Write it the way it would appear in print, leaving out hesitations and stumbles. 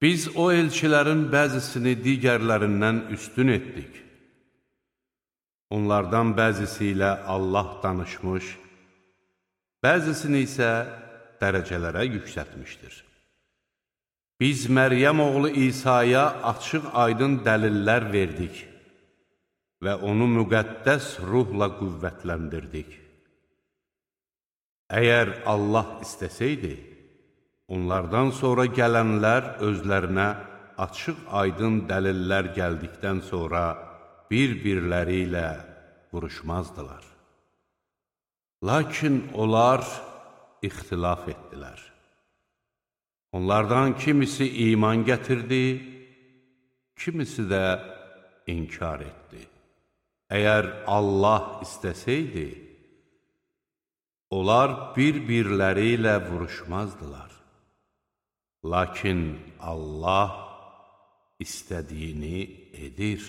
Biz o elçilərin bəzisini digərlərindən üstün etdik. Onlardan bəzisi ilə Allah danışmış, bəzisini isə dərəcələrə yüksətmişdir. Biz Məryəm oğlu İsa'ya açıq aydın dəlillər verdik və onu müqəddəs ruhla qüvvətləndirdik. Əgər Allah istəsəydi, onlardan sonra gələnlər özlərinə açıq aydın dəlillər gəldikdən sonra bir-birləri ilə vuruşmazdılar. Lakin onlar ixtilaf etdilər. Onlardan kimisi iman gətirdi, kimisi də inkar etdi. Əgər Allah istəsəydi, onlar bir-birləri ilə vuruşmazdılar. Lakin Allah istədiyini edir.